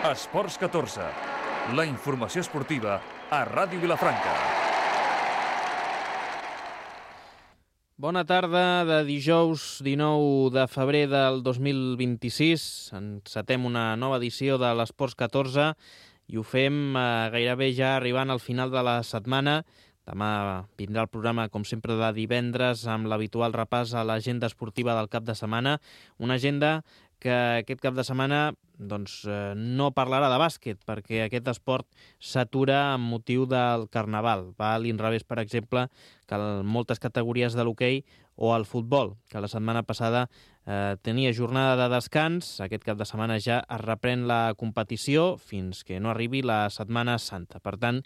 Esports 14, la informació esportiva a Ràdio Vilafranca. Bona tarda de dijous 19 de febrer del 2026. Encetem una nova edició de l'Esports 14 i ho fem gairebé ja arribant al final de la setmana. Demà vindrà el programa, com sempre, de divendres amb l'habitual repàs a l'agenda esportiva del cap de setmana. Una agenda que aquest cap de setmana no parlarà de bàsquet, perquè aquest esport s'atura amb motiu del Carnaval. Va a l'inrevés, per exemple, que moltes categories de l'hoquei o el futbol, que la setmana passada tenia jornada de descans. Aquest cap de setmana ja es reprèn la competició fins que no arribi la Setmana Santa. Per tant,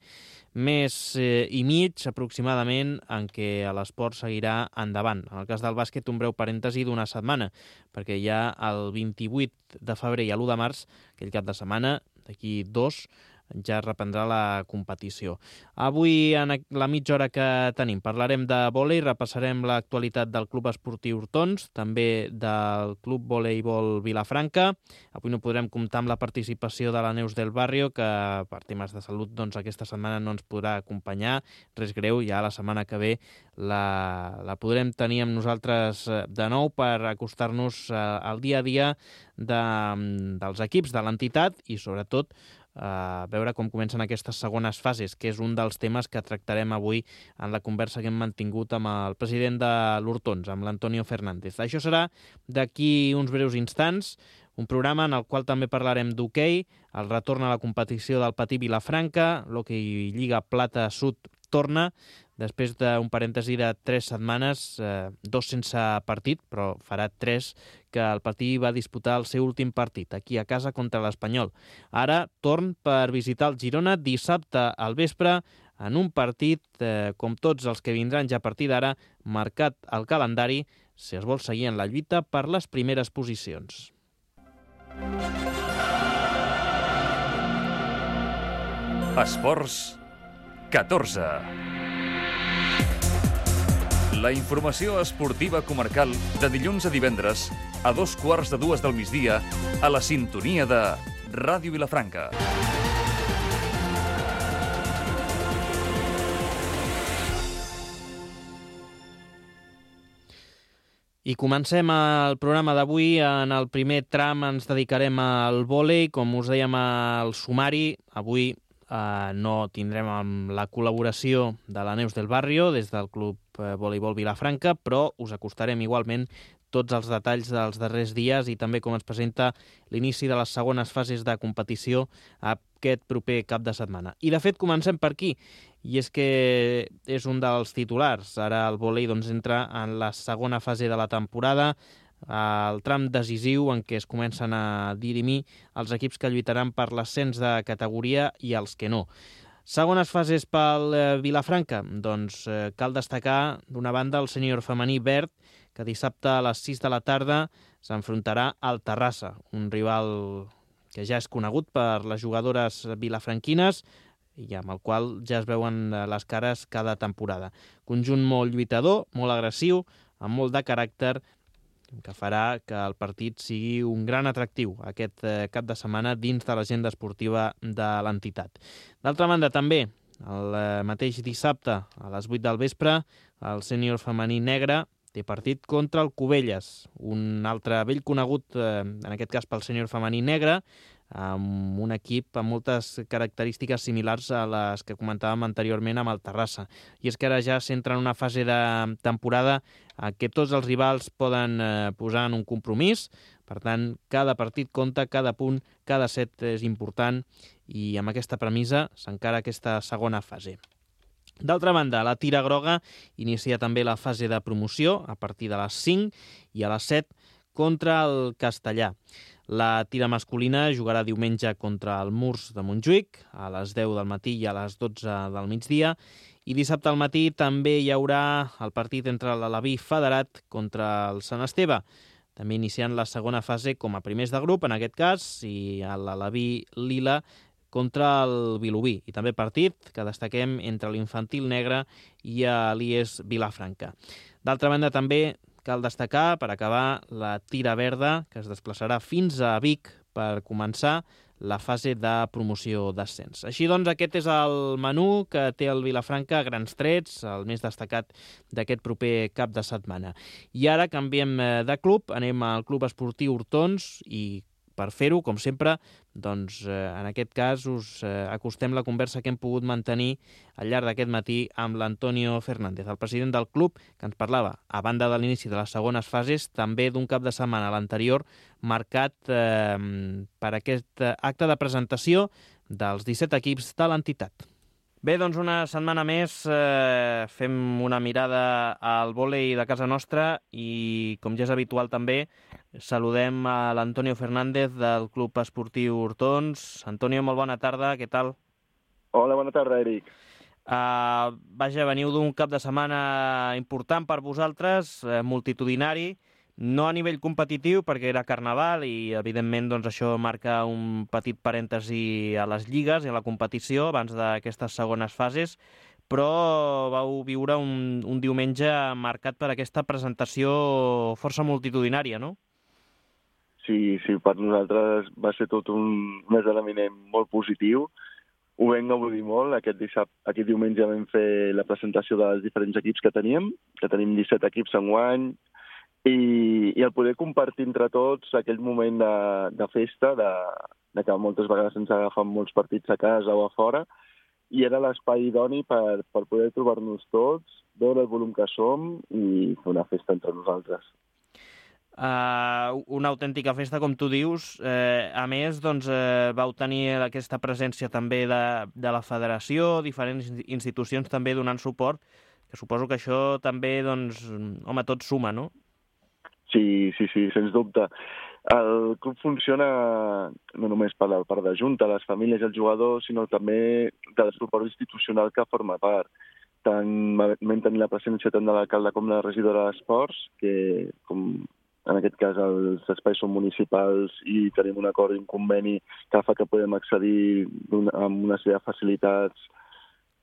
mes i mig aproximadament en què l'esport seguirà endavant. En el cas del bàsquet, un breu parèntesi d'una setmana, perquè ja el 28 de febrer i l'1 de març, aquell cap de setmana, d'aquí 2, ja reprendrà la competició. Avui, en la mitja hora que tenim, parlarem de vòlei, repassarem l'actualitat del Club Esportiu Hortons, també del Club Voleibol Vilafranca. Avui no podrem comptar amb la participació de la Neus del Barrio, que per temes de salut aquesta setmana no ens podrà acompanyar. Res greu, ja la setmana que ve la podrem tenir amb nosaltres de nou per acostar-nos al dia a dia dels equips de l'entitat i, sobretot, veure com comencen aquestes segones fases, que és un dels temes que tractarem avui en la conversa que hem mantingut amb el president de l'Hortons, amb l'Antonio Fernández. Això serà d'aquí uns breus instants, un programa en el qual també parlarem d'hoquei, el retorn a la competició del Patí Vilafranca, l'hoquei Lliga Plata Sud torna, després d'un parèntesi de 3 setmanes, 2 sense partit, però farà 3 que el Patí va disputar el seu últim partit, aquí a casa contra l'Espanyol. Ara, torn per visitar el Girona dissabte al vespre, en un partit, com tots els que vindran ja a partir d'ara, marcat al calendari, si es vol seguir en la lluita per les primeres posicions. Esports 14. La informació esportiva comarcal de dilluns a divendres a 2:15 del migdia a la sintonia de Ràdio Vilafranca. I comencem el programa d'avui. En el primer tram ens dedicarem al vòlei. Com us dèiem al sumari, avui no tindrem la col·laboració de la Neus del Barrio des del Club Voleibol Vilafranca, però us acostarem igualment tots els detalls dels darrers dies i també com es presenta l'inici de les segones fases de competició aquest proper cap de setmana. I de fet comencem per aquí, i és que és un dels titulars. Ara el vòlei entra en la segona fase de la temporada, el tram decisiu en què es comencen a dirimir els equips que lluitaran per l'ascens de categoria i els que no. Segones fases pel Vilafranca, cal destacar d'una banda el sènior femení verd, que dissabte a les 6 de la tarda s'enfrontarà al Terrassa, un rival que ja és conegut per les jugadores vilafranquines i amb el qual ja es veuen les cares cada temporada. Conjunt molt lluitador, molt agressiu, amb molt de caràcter, que farà que el partit sigui un gran atractiu aquest cap de setmana dins de l'agenda esportiva de l'entitat. D'altra banda, també, el mateix dissabte, a les 8 del vespre, el sènior femení negre té partit contra el Cubelles, un altre vell conegut, en aquest cas pel sènior femení negre, amb un equip amb moltes característiques similars a les que comentàvem anteriorment amb el Terrassa. I és que ara ja s'entra en una fase de temporada en què tots els rivals poden posar en un compromís. Per tant, cada partit compta, cada punt, cada set és important i amb aquesta premissa s'encara aquesta segona fase. D'altra banda, la Tira Groga inicia també la fase de promoció a partir de les 5 i a les 7 contra el Castellà. La tira masculina jugarà diumenge contra el Murs de Montjuïc a les 10 del matí i a les 12 del migdia i dissabte al matí també hi haurà el partit entre l'Alaví Federat contra el Sant Esteve, també iniciant la segona fase com a primers de grup en aquest cas i l'Alaví Lila contra el Vilobí i també partit que destaquem entre l'Infantil Negre i l'IES Vilafranca. D'altra banda també cal destacar, per acabar, la Tira Verda, que es desplaçarà fins a Vic per començar la fase de promoció d'ascens. Així doncs, aquest és el menú que té el Vilafranca a grans trets, el més destacat d'aquest proper cap de setmana. I ara canviem de club, anem al Club Esportiu Hortons i per fer-ho, com sempre, doncs, en aquest cas us acostem la conversa que hem pogut mantenir al llarg d'aquest matí amb l'Antonio Fernández, el president del club, que ens parlava, a banda de l'inici de les segones fases, també d'un cap de setmana l'anterior marcat per aquest acte de presentació dels 17 equips de l'entitat. Bé, doncs una setmana més fem una mirada al vòlei de casa nostra i, com ja és habitual també, saludem a l'Antonio Fernández del Club Esportiu Hortons. Antonio, molt bona tarda, què tal? Hola, bona tarda, Eric. Vaja, veniu d'un cap de setmana important per vosaltres, multitudinari, no a nivell competitiu perquè era Carnaval i evidentment doncs, això marca un petit parèntesi a les lligues i a la competició abans d'aquestes segones fases, però vau viure un diumenge marcat per aquesta presentació força multitudinària, no? Sí, per nosaltres va ser tot un esdeveniment molt positiu. Ho vam gaudir molt. Aquest diumenge vam fer la presentació dels diferents equips que tenim 17 equips enguany, i el poder compartir entre tots aquell moment de festa, de que moltes vegades ens agafen molts partits a casa o a fora, i era l'espai idoni per poder trobar-nos tots, veure el volum que som i fer una festa entre nosaltres. Una autèntica festa, com tu dius. A més, doncs, vau tenir aquesta presència també de la federació, diferents institucions també donant suport, que suposo que això també, doncs, home, tot suma, no? Sí, sens dubte. El club funciona no només per la part de junta, les famílies i els jugadors, sinó també del suport institucional que forma part. Vam tenir la presència tant de l'alcalde com de la regidora d'Esports, que com en aquest cas els espais són municipals i tenim un acord i un conveni que fa que podem accedir amb una sèrie de facilitats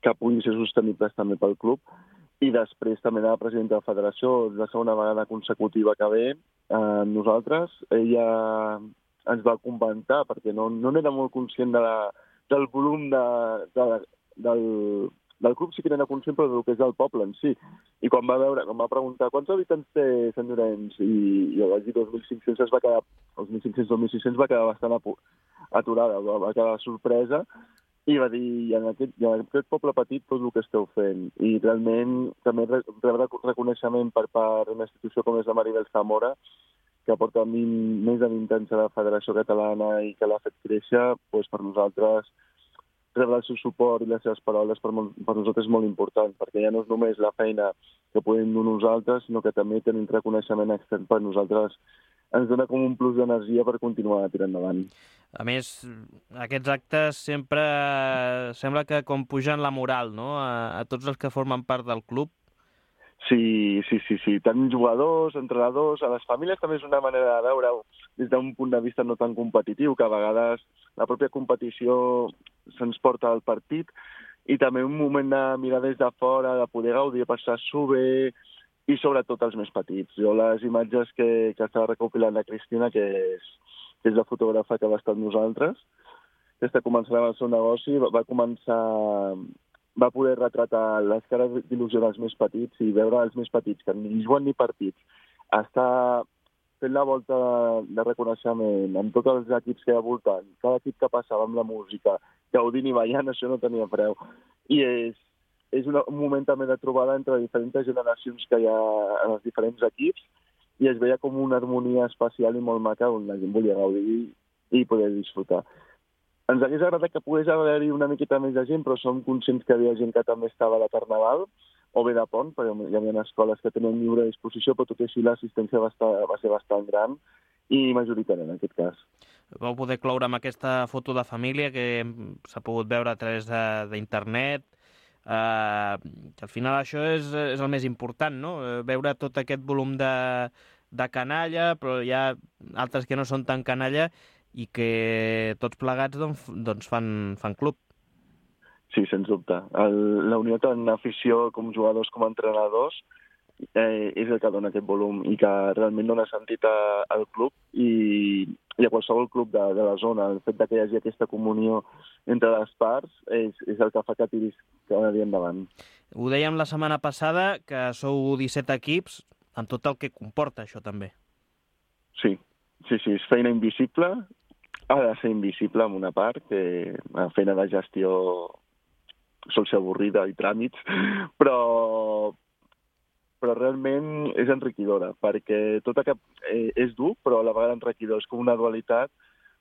que puguin ser sostenibles també pel club. I després també la presidenta de la federació, la segona vegada consecutiva que ve nosaltres. Ella ens va comentar, perquè no n'era molt conscient del volum del club, sí que n'era conscient, però del que és del poble en si. I quan va preguntar quants habitants té Sant Llorenç, i jo vaig dir 2.500, els 2.500-2.600 va quedar bastant aturada, va quedar sorpresa. I va dir, en aquest poble petit tot el que esteu fent. I realment també rebre reconeixement per part d'una institució com és la Maribel Zamora, que porta més de 20 anys a la Federació Catalana i que l'ha fet créixer, doncs per nosaltres rebre el seu suport i les seves paraules per nosaltres és molt important, perquè ja no és només la feina que podem dur nosaltres, sinó que també tenim reconeixement extern per nosaltres. Ens dona com un plus d'energia per continuar tirant endavant. A més, aquests actes sempre sembla que com pugen la moral, no?, a tots els que formen part del club. Sí. Tant jugadors, entrenadors, a les famílies també és una manera de veure-ho des d'un punt de vista no tan competitiu, que a vegades la pròpia competició se'ns porta al partit, i també un moment de mirar des de fora, de poder gaudir, passar-s'ho bé, i sobretot els més petits. Jo les imatges que estava recopilant la Cristina, que és la fotògrafa que va estar amb nosaltres, des de començar el seu negoci, va poder retratar les cares d'il·lusió dels més petits i veure els més petits, que ni juguen ni partits, està fent la volta de reconeixement amb tots els equips que hi ha voltant, cada equip que passava amb la música, gaudint i ballant, això no tenia preu. I és un moment també de trobada entre diferents generacions que hi ha en els diferents equips, i es veia com una harmonia especial i molt maca on la gent volia gaudir i poder disfrutar. Ens hagués agradat que pogués haver-hi una miqueta més de gent, però som conscients que hi havia gent que també estava a la Carnaval o bé de pont, perquè hi havia escoles que tenien lliure disposició, però tot i així l'assistència va ser bastant gran i majoritària en aquest cas. Vau poder cloure amb aquesta foto de família que s'ha pogut veure a través d'internet. Al final això és el més important, no? Veure tot aquest volum de canalla, però hi ha altres que no són tan canalla i que tots plegats doncs fan club. Sí, sens dubte. La unió tant afició com jugadors com entrenadors és el que dona aquest volum i que realment dona sentit al club, i i a qualsevol club de la zona. El fet que hi hagi aquesta comunió entre les parts és el que fa que tiris cada dia endavant. Ho dèiem la setmana passada, que sou 17 equips, amb tot el que comporta això també. Sí, és feina invisible, ha de ser invisible en una part, que la feina de gestió sol ser avorrida i tràmits, però realment és enriquidora, perquè tot és dur, però a la vegada enriquidor, és com una dualitat,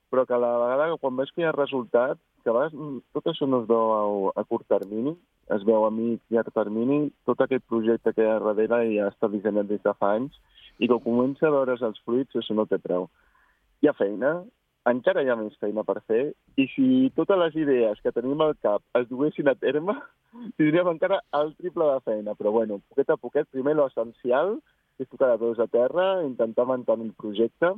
però que a la vegada, quan veus que hi ha resultat, que a vegades tot això no es veu a curt termini, es veu a mig llarg termini, tot aquest projecte que hi ha darrere ja està dissenyat des de fa anys, i quan comença a veure's els fruits, això no té preu. Hi ha feina, encara hi ha més feina per fer, i si totes les idees que tenim al cap es duguessin a terme, tindríem encara el triple de feina. Però bueno, poquet a poquet, primer l'essencial, és tocar de peus a terra, intentar mantenir el projecte,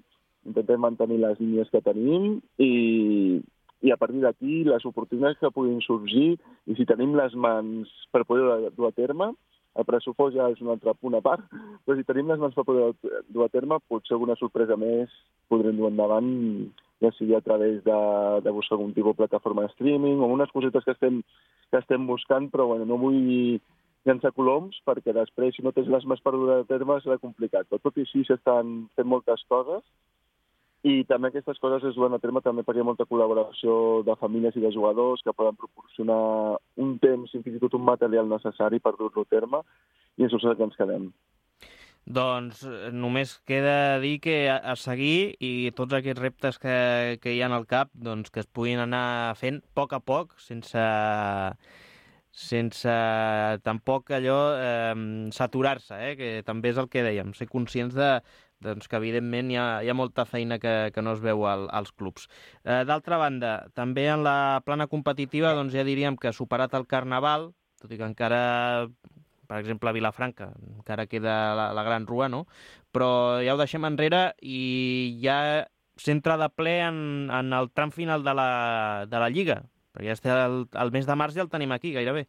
intentar mantenir les línies que tenim, i a partir d'aquí les oportunitats que puguin sorgir, i si tenim les mans per poder dur a terme, el pressupost ja és un altre punt a part, però si tenim les mans per poder dur a terme, potser alguna sorpresa més podrem dur endavant, ja sigui a través de buscar algun tipus de plataforma de streaming o unes cosetes que estem buscant, però bueno, no vull llançar coloms perquè després, si no tens les mans per dur a terme, serà complicat. Però tot i així s'estan fent moltes coses i també aquestes coses es duen a terme també perquè hi ha molta col·laboració de famílies i de jugadors que poden proporcionar un temps i fins i tot un material necessari per dur-lo a terme i això és el que ens quedem. Doncs només queda dir que a seguir i tots aquests reptes que hi ha al cap doncs que es puguin anar fent a poc, sense tampoc allò saturar-se, que també és el que dèiem, ser conscients doncs que evidentment hi ha molta feina que no es veu als clubs. D'altra banda, també en la plana competitiva doncs ja diríem que ha superat el Carnaval, tot i que encara, per exemple, a Vilafranca, encara queda la Gran Rua, no? Però ja ho deixem enrere i ja s'entra de ple en el tram final de la Lliga, perquè ja el mes de març ja el tenim aquí, gairebé.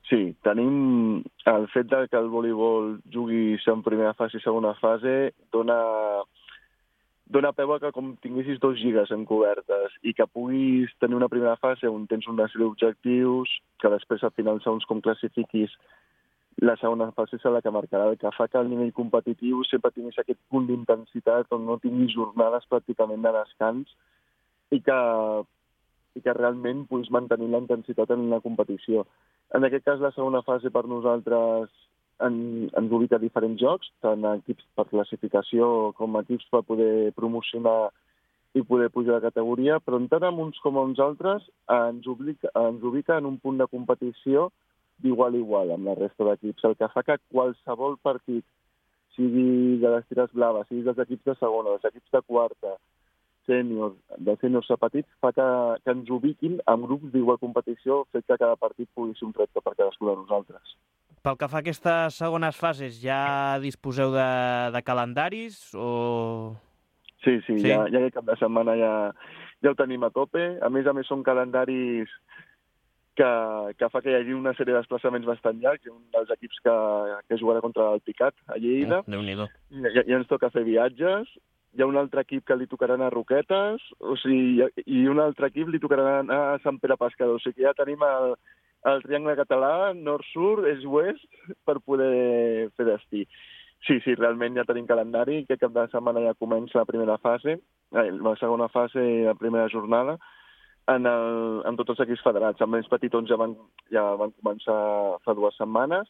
Sí, tenim el fet que el voleibol jugui en primera fase i segona fase dona peu a que com tinguessis 2 lligues encobertes i que puguis tenir una primera fase on tens una sèrie d'objectius, que després al final, segons com classifiquis, la segona fase és la que marcarà, el que fa que al nivell competitiu sempre tinguis aquest punt d'intensitat on no tinguis jornades pràcticament de descans i que realment puguis mantenir la intensitat en la competició. En aquest cas, la segona fase per nosaltres ens ubica a diferents jocs, tant equips per classificació com equips per poder promocionar i poder pujar de categoria, però tant amb uns com amb uns altres ens ubica en un punt de competició d'igual a igual amb la resta d'equips, el que fa que qualsevol partit, sigui de les tires blaves, sigui dels equips de segona, dels equips de quarta, dels sèniors a petits, fa que ens ubiquin en grups d'igual competició, fet que cada partit pugui ser un repte per cadascú de nosaltres. Pel que fa a aquestes segones fases, ja disposeu de calendaris o...? Sí, ja aquest cap de setmana ja ho tenim a tope. A més, són calendaris que fa que hi hagi una sèrie de desplaçaments bastant llargs. Hi ha un dels equips que jugarà contra el Picat, a Lleida. Déu-n'hi-do. Ja ens toca fer viatges. Hi ha un altre equip que li tocarà anar a Roquetes, i un altre equip li tocarà anar a Sant Pere Pescador. O sigui que ja tenim el triangle català, nord-sud, est-oest, per poder fer destí. Sí, realment ja tenim calendari. Aquest cap de setmana ja comença la primera fase, la segona fase i la primera jornada, en tots els equips federats. Els més petitons ja van començar fa 2 setmanes,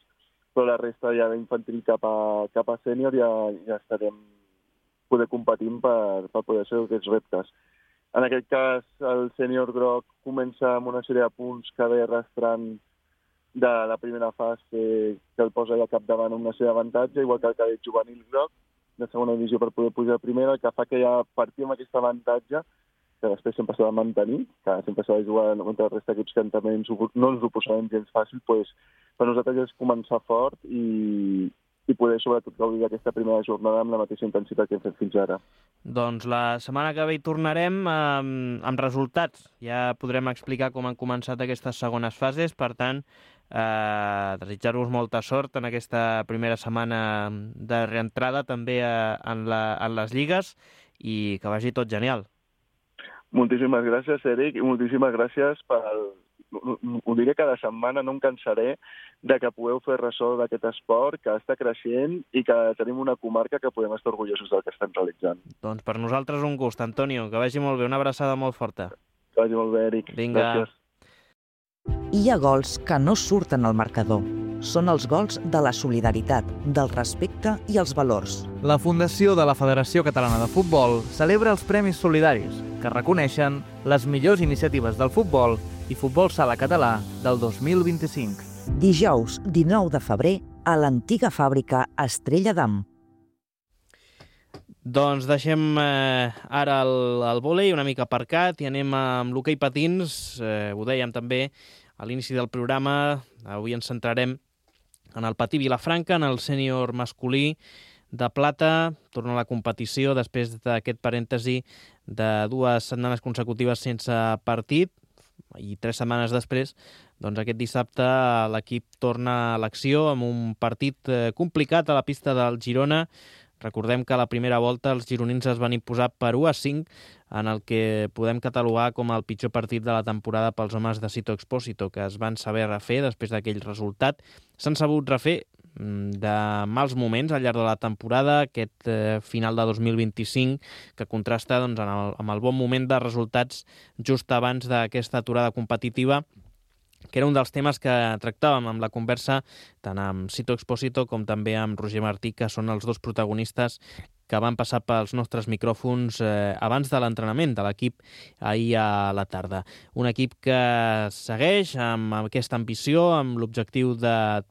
però la resta ja d'infantil cap a sènior ja estarem poder competir per poder fer aquests reptes. En aquest cas, el sènior groc comença amb una sèrie de punts que ve arrastrant de la primera fase que el posa al capdavant amb una sèrie d'avantatge, igual que el cadet juvenil groc de segona divisió per poder pujar a primera, el que fa que ja partim amb aquest avantatge que després sempre s'ha de mantenir, que sempre s'ha de jugar contra la resta d'equips que també no ens ho posarem gens fàcil, doncs per nosaltres és començar fort i poder sobretot gaudir d'aquesta primera jornada amb la mateixa intensitat que hem fet fins ara. Doncs la setmana que ve hi tornarem amb resultats. Ja podrem explicar com han començat aquestes segones fases, per tant, desitjar-vos molta sort en aquesta primera setmana de reentrada també en les lligues i que vagi tot genial. Moltíssimes gràcies, Eric, i moltíssimes gràcies ho diré cada setmana, no em cansaré de que pugueu fer ressò d'aquest esport que està creixent i que tenim una comarca que podem estar orgullosos del que estem realitzant. Doncs per nosaltres un gust, Antonio, que vagi molt bé, una abraçada molt forta. Que vagi molt bé, Eric. Vinga. Gràcies. Hi ha gols que no surten al marcador. Són els gols de la solidaritat, del respecte i els valors. La Fundació de la Federació Catalana de Futbol celebra els Premis Solidaris, que reconeixen les millors iniciatives del futbol i futbol sala català del 2025. Dijous 19 de febrer a l'antiga fàbrica Estrella d'Am. Doncs deixem ara el vòlei una mica aparcat i anem amb l'hoquei patins. Ho dèiem també a l'inici del programa. Avui ens centrarem en el patí Vilafranca, en el sènior masculí de plata. Torna a la competició després d'aquest parèntesi de 2 setmanes consecutives sense partit i 3 setmanes després, doncs aquest dissabte l'equip torna a l'acció amb un partit complicat a la pista del Girona. Recordem que a la primera volta els gironins es van imposar per 1-5 en el que podem catalogar com el pitjor partit de la temporada pels homes de Sito Expósito, que es van saber refer després d'aquell resultat. S'han sabut refer de mals moments al llarg de la temporada, aquest final de 2025 que contrasta doncs, amb el bon moment de resultats just abans d'aquesta aturada competitiva, que era un dels temes que tractàvem amb la conversa tant amb Sito Expósito com també amb Roger Martí, que són els 2 protagonistes que van passar pels nostres micròfons abans de l'entrenament de l'equip ahir a la tarda. Un equip que segueix amb aquesta ambició, amb l'objectiu de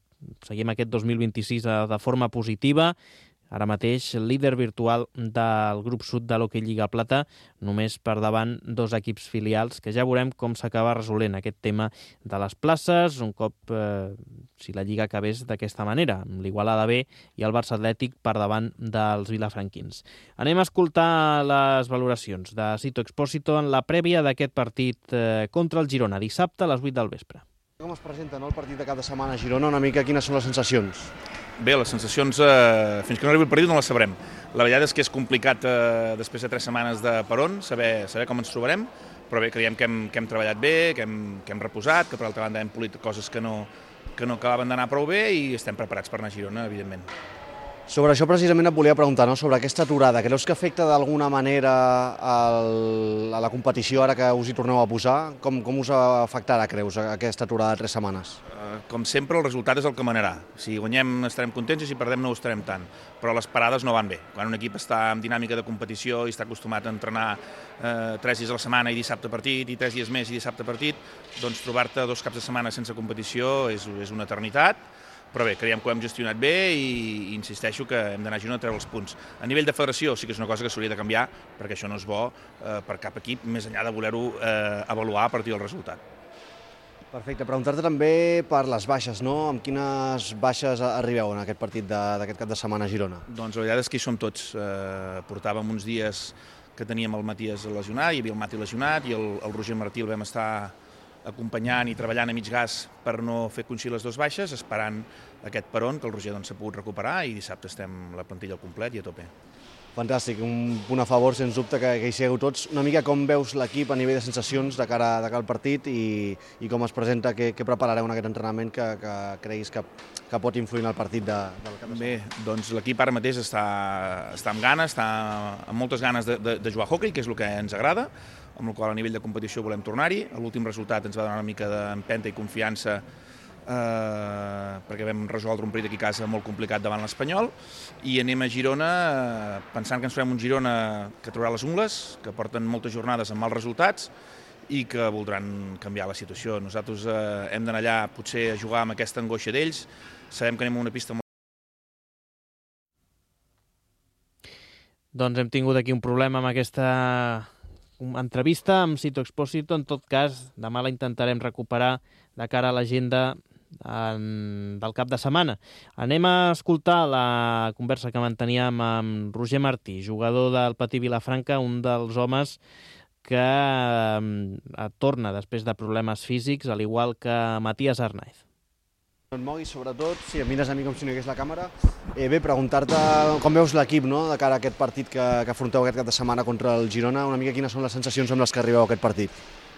seguir aquest 2026 de forma positiva. Ara mateix líder virtual del grup sud de l'Hockey Lliga Plata, només per davant 2 equips filials, que ja veurem com s'acaba resolent aquest tema de les places, un cop si la Lliga acabés d'aquesta manera, amb l'Igualada B i el Barça Atlètic per davant dels vilafranquins. Anem a escoltar les valoracions de Sito Expósito en la prèvia d'aquest partit contra el Girona, dissabte a les 8 del vespre. Com es presenta el partit de cap de setmana a Girona? Una mica quines són les sensacions? Bé, les sensacions, fins que no arribi el partit no les sabrem. La veritat és que és complicat després de 3 setmanes de peron saber com ens trobarem, però bé, creiem que hem treballat bé, que hem reposat, que per altra banda hem polit coses que no acabaven d'anar prou bé i estem preparats per anar a Girona, evidentment. Sobre això precisament et volia preguntar, no? Sobre aquesta aturada. Creus que afecta d'alguna manera a la competició ara que us hi torneu a posar? Com us afectarà, creus, aquesta aturada de 3 setmanes? Com sempre, el resultat és el que manarà. Si guanyem estarem contents i si perdem no ho estarem tant. Però les parades no van bé. Quan un equip està en dinàmica de competició i està acostumat a entrenar 3 dies a la setmana i dissabte partit, i 3 dies més i dissabte partit, doncs trobar-te 2 caps de setmana sense competició és una eternitat. Però bé, creiem que ho hem gestionat bé i insisteixo que hem d'anar a Girona a treure els punts. A nivell de federació sí que és una cosa que s'hauria de canviar perquè això no és bo per cap equip, més enllà de voler-ho avaluar a partir del resultat. Perfecte. Preguntar-te també per les baixes, no? Amb quines baixes arribeu en aquest partit d'aquest cap de setmana a Girona? Doncs la veritat és que hi som tots. Portàvem uns dies que teníem el Matías lesionat, hi havia el Mati lesionat i el Roger Martí el vam estar acompanyant i treballant a mig gas per no fer coincidir les 2 baixes, esperant aquest peron que el Roger s'ha pogut recuperar i dissabte estem la plantilla al complet i a tope. Fantàstic, un punt a favor, sens dubte, que hi sigueu tots. Una mica com veus l'equip a nivell de sensacions de cara al partit i com es presenta, què preparareu en aquest entrenament que creguis que pot influir en el partit del cap de setmana? Bé, doncs l'equip ara mateix està amb ganes, està amb moltes ganes de jugar a hockey, que és el que ens agrada, amb el qual a nivell de competició volem tornar-hi. L'últim resultat ens va donar una mica d'empenta i confiança perquè vam resoldre un partit aquí a casa molt complicat davant l'Espanyol i anem a Girona pensant que ens farem un Girona que traurà les ungles, que porten moltes jornades amb mals resultats i que voldran canviar la situació. Nosaltres hem d'anar allà potser a jugar amb aquesta angoixa d'ells, sabem que anem a una pista molt... Doncs hem tingut aquí un problema amb aquesta entrevista amb Sito Expósito. En tot cas, demà la intentarem recuperar de cara a l'agenda del cap de setmana. Anem a escoltar la conversa que manteníem amb Roger Martí, jugador del Patí Vilafranca, un dels homes que torna després de problemes físics, al igual que Matías Arnaiz. No et moguis, sobretot, si em mires a mi com si no hi hagués la càmera. Bé, preguntar-te com veus l'equip, no?, de cara a aquest partit que afronteu aquest cap de setmana contra el Girona, una mica quines són les sensacions amb les que arribeu a aquest partit.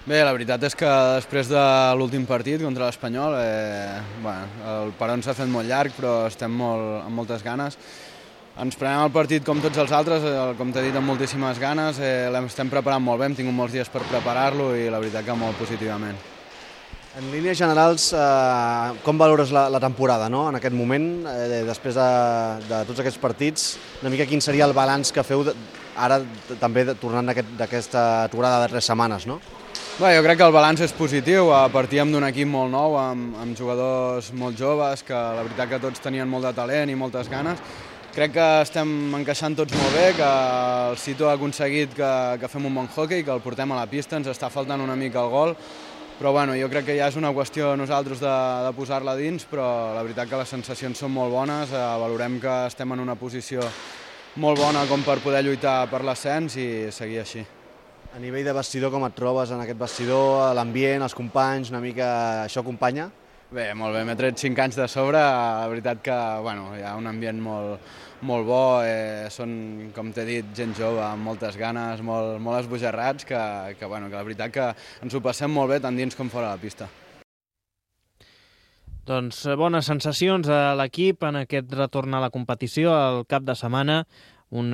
Bé, la veritat és que després de l'últim partit contra l'Espanyol, el peron s'ha fet molt llarg, però estem amb moltes ganes. Ens prenem el partit com tots els altres, com t'he dit, amb moltíssimes ganes, l'estem preparant molt bé, hem tingut molts dies per preparar-lo i la veritat que molt positivament. En línies generals, com valores la temporada, no?, en aquest moment, després de tots aquests partits, una mica quin seria el balanç que feu ara també tornant d'aquesta aturada de 3 setmanes, no? Bé, jo crec que el balanç és positiu, partíem d'un equip molt nou, amb jugadors molt joves, que la veritat que tots tenien molt de talent i moltes ganes. Crec que estem encaixant tots molt bé, que el Sito ha aconseguit que fem un bon hoquei, que el portem a la pista, ens està faltant una mica el gol, però bueno, jo crec que ja és una qüestió nosaltres de posar-la dins, però la veritat que les sensacions són molt bones, valorem que estem en una posició molt bona com per poder lluitar per l'ascens i seguir així. A nivell de vestidor, com et trobes en aquest vestidor, l'ambient, els companys, una mica això acompanya? Bé, molt bé, m'he tret 5 anys de sobre, la veritat que hi ha un ambient molt bo, són, com t'he dit, gent jove amb moltes ganes, molt esbojarrats, que la veritat que ens ho passem molt bé tant dins com fora de la pista. Doncs bones sensacions a l'equip en aquest retorn a la competició al cap de setmana. Un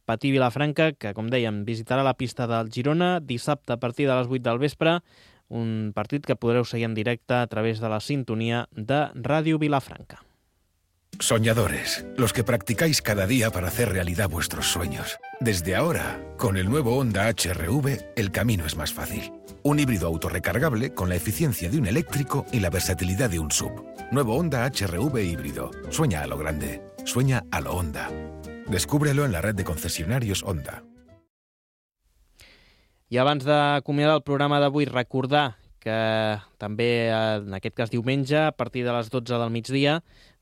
Patí Vilafranca que, com dèiem, visitarà la pista del Girona dissabte a partir de les 8 del vespre, un partit que podreu seguir en directe a través de la sintonia de Ràdio Vilafranca. Soñadores, los que practicáis cada día para hacer realidad vuestros sueños. Desde ahora, con el nuevo Honda HR-V, el camino es más fácil. Un híbrido autorrecargable con la eficiencia de un eléctrico y la versatilidad de un SUV. Nuevo Honda HR-V híbrido. Sueña a lo grande. Sueña a lo Honda. Descúbrelo en la red de concesionarios Honda. I abans d'acomiadar el programa d'avui, recordar que també, en aquest cas diumenge, a partir de les 12 del migdia,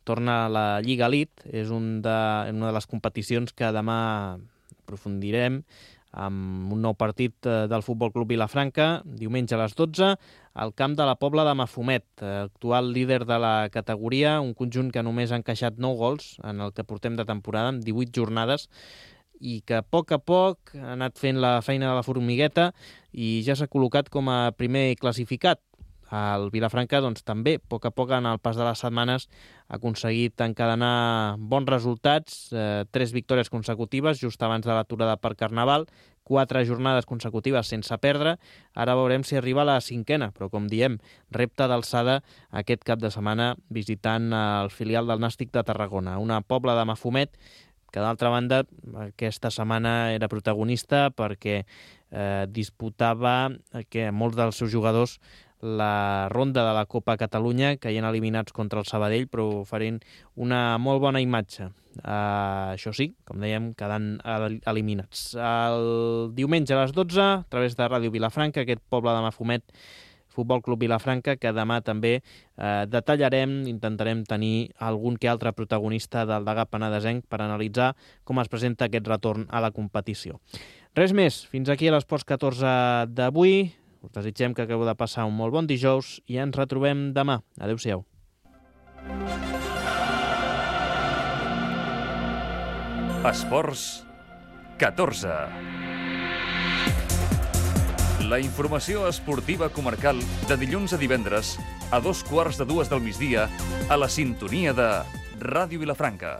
torna la Lliga Elite. És una de les competicions que demà aprofundirem amb un nou partit del Futbol Club Vilafranca, diumenge a les 12, al camp de la Pobla de Mafumet, actual líder de la categoria, un conjunt que només ha encaixat 9 gols en el que portem de temporada, en 18 jornades, i que a poc ha anat fent la feina de la formigueta i ja s'ha col·locat com a primer classificat. El Vilafranca, doncs, també, a poc en el pas de les setmanes, ha aconseguit encadenar bons resultats, 3 victòries consecutives, just abans de l'aturada per Carnaval, 4 jornades consecutives sense perdre. Ara veurem si arriba a la 5ª, però, com diem, repte d'alçada aquest cap de setmana visitant el filial del Nàstic de Tarragona, una Pobla de Mafumet que, d'altra banda, aquesta setmana era protagonista perquè disputava molts dels seus jugadors la ronda de la Copa Catalunya, caient eliminats contra el Sabadell, però oferint una molt bona imatge. Això sí, com dèiem, quedant eliminats. El diumenge a les 12, a través de Ràdio Vilafranca, aquest Poble de Mafumet, Futbol Club Vilafranca, que demà també detallarem, intentarem tenir algun que altre protagonista del Degà Penedesenc per analitzar com es presenta aquest retorn a la competició. Res més, fins aquí a l'Esports 14 d'avui. Us desitgem que acabeu de passar un molt bon dijous i ens retrobem demà. Adéu-siau. Esports 14. La informació esportiva comarcal de dilluns a divendres a 2:15 del migdia a la sintonia de Ràdio Vilafranca.